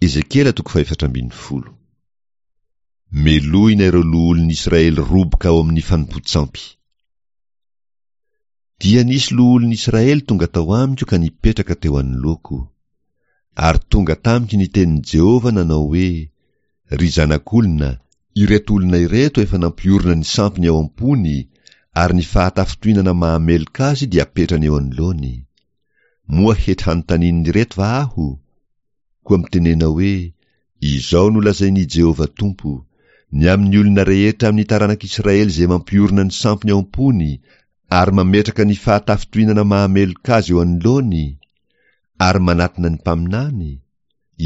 Ezekiela toko fahefatra ambin'ny folo. Melohina ireo loholon'i Israely roboka ao amin'ny fanompoan-tsampy. Dia nisy loholon'i Israely tonga tao amiko ka nipetraka teo anoloako. Ary tonga tamiko ny tenin'i Jehovah nanao hoe, Ry zanak'olona, ireto olona ireto efa nampiorina ny sampiny ao am-pony, ary ny fahatafintohinana mahameloka azy dia apetrany eo anoloany. Moa hety hanontanian'ireto va aho? Koa mitenena hoe, Izao no lazain'i Jehovah Tompo, Ny amin'ny olona rehetra amin'ny taranak'Israely izay mampiorina ny sampiny ao am-pony ary mametraka ny fahatafintohinana mahameloka azy eo anoloany, ary manatona ny mpaminany,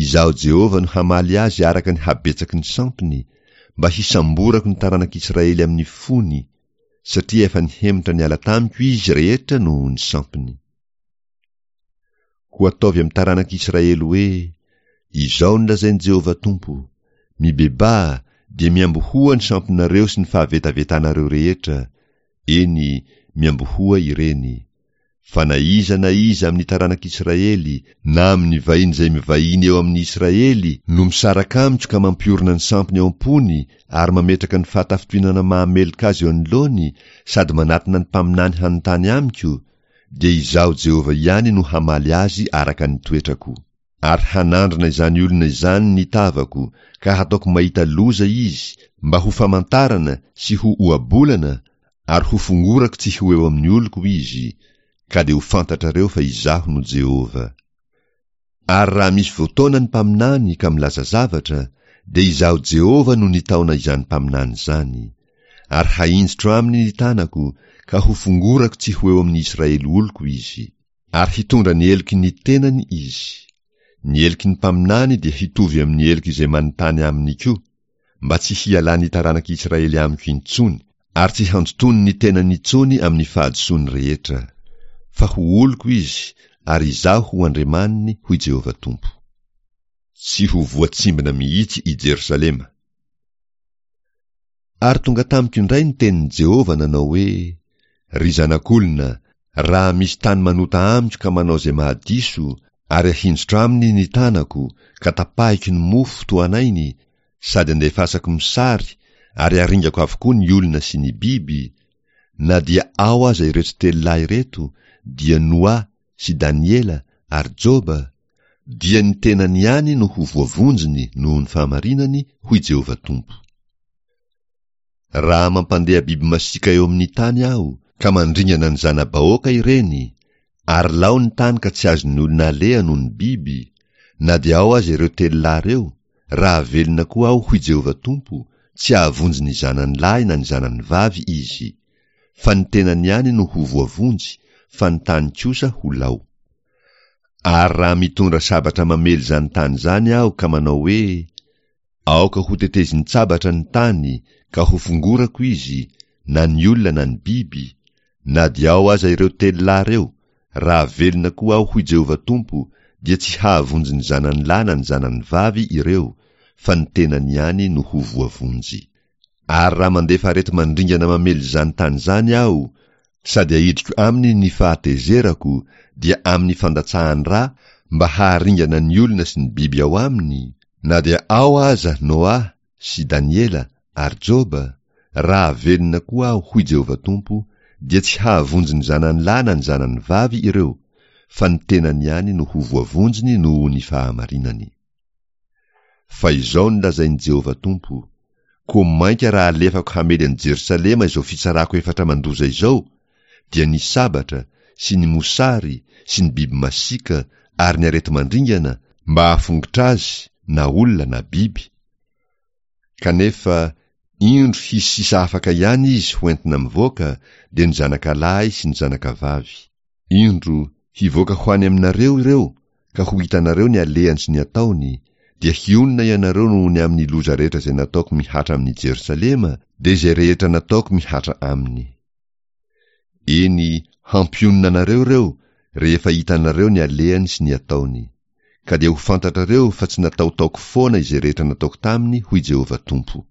Izaho Jehovah no hamaly azy araka ny habetsaky ny sampiny, mba hisamborako ny taranak'Israely amin'ny fony, satria efa nihemotra niala tamiko izy rehetra noho ny sampiny. Koa ataovy amin'ny taranak'Israely hoe, Izao no lazain'i Jehovah Tompo, Mibebaha, dia miambohoa ny sampinareo sy ny fahavetavetanareo rehetra, eny, miambohoa ireny. Fa na iza na iza amin'ny taranak'Israely, na amin'ny vahiny izay mivahiny eo amin'ny Israely, no misaraka amiko ka mampiorina ny sampiny ao am-pony ary mametraka ny fahatafintohinana mahameloka azy eo anoloany sady manatona ny mpaminany hanontany amiko, dia Izaho Jehovah ihany no hamaly azy araka ny toetrako. Ary hanandrana izany olona izany ny tavako, ka hataoko mahita loza izy, mba ho famantarana sy ho ohabolana, ary hofongorako tsy ho eo amin'ny oloko izy, ka dia ho fantatrareo fa Izaho no Jehovah. Ary raha misy voataona ny mpaminany ka milaza zavatra, dia Izaho Jehovah no nitaona izany mpaminany izany. Ary hahinjitro aminy ny tanako, ka hofongorako tsy ho eo amin'ny Israely oloko izy. Ary hitondra ny heloky ny tenany izy. Ny heloky ny mpaminany dia hitovy amin'ny heloky izay manontany aminy koa, mba tsy hialan'ny taranak'i Israely amiko intsony, ary tsy handotoany ny tenany intsony amin'ny fahadisoany rehetra. Fa ho oloko izy, ary Izaho ho Andriamaniny, hoy Jehovah Tompo. Tsy ho voatsimbina mihitsy i Jerosalema. Ary tonga tamiko indray ny tenin'i Jehovah nanao hoe, Ry zanak'olona, raha misy tany manota amiko ka manao izay mahadiso, ary ahinjitro aminy ny tanako, ka tapahiko ny mofo tohanainy, sady andefasako mosary, ary aringako avokoa ny olona sy ny biby, na dia ao aza ireto telo lahy ireto, dia Noa sy Daniela ary Joba, dia ny tenany ihany no ho voavonjiny noho ny fahamarinany, hoy Jehovah Tompo. Raha mampandeha biby masiaka eo amin'ny tany aho, ka mandringana ny zana-bahoaka ireny, ary lao ny tany ka tsy azon'ny olona aleha noho ny biby, na dia ao aza ireo telo lahy ireo, raha velona koa aho, hoy Jehovah Tompo, tsy hahavonjy ny zanany lahy na ny zanany vavy izy, fa ny tenany ihany no ho voavonjy, fa ny tany kosa ho lao. Ary raha mitondra sabatra mamely izany tany izany aho ka manao hoe, Aoka hotetezin-tsabatra ny tany ka hofongorako izy, na ny olona na ny biby, na dia ao aza ireo telo lahy ireo, raha velona koa aho, hoy Jehovah Tompo, dia tsy hahavonjy ny zanany lahy na ny zanany vavy ireo, fa ny tenany ihany no ho voavonjy. Ary raha mandefa areti-mandringana mamely izany tany izany aho, sady ahidriko aminy ny fahatezerako, dia amin'ny fandatsahan-dra mba haharingana ny olona sy ny biby ao aminy, na dia ao aza Noa sy Daniela ary Joba, raha velona koa aho, hoy Jehovah Tompo, dia tsy hahavonjy ny zanany lahy na ny zanany vavy ireo, fa ny tenany ihany no ho voavonjiny noho ny fahamarinany. Fa izao no lazain'i Jehovah Tompo, Koa mainka raha alefako hamely an'i Jerosalema izao fitsarako efatra mandoza izao, dia ny sabatra, sy ny mosary, sy ny biby masiaka, ary ny areti-mandringana, mba hahafongotra azy, na olona na biby. Kanefa, indro hisy sisa afaka ihany izy ho entina mivoaka, dia ny zanakalahy sy ny zanakavavy. Indro, hivoaka ho any aminareo ireo, ka ho hitanareo ny alehany sy ny ataony, dia hionona ianareo noho ny amin'ny loza rehetra izay nataoko mihatra amin'i Jerosalema, dia izay rehetra nataoko mihatra aminy. Eny, hampionona anareo ireo, rehefa hitanareo ny alehany sy ny ataony. Ka dia ho fantatrareo fa tsy nataotaoko foana izay rehetra nataoko taminy, hoy Jehovah Tompo.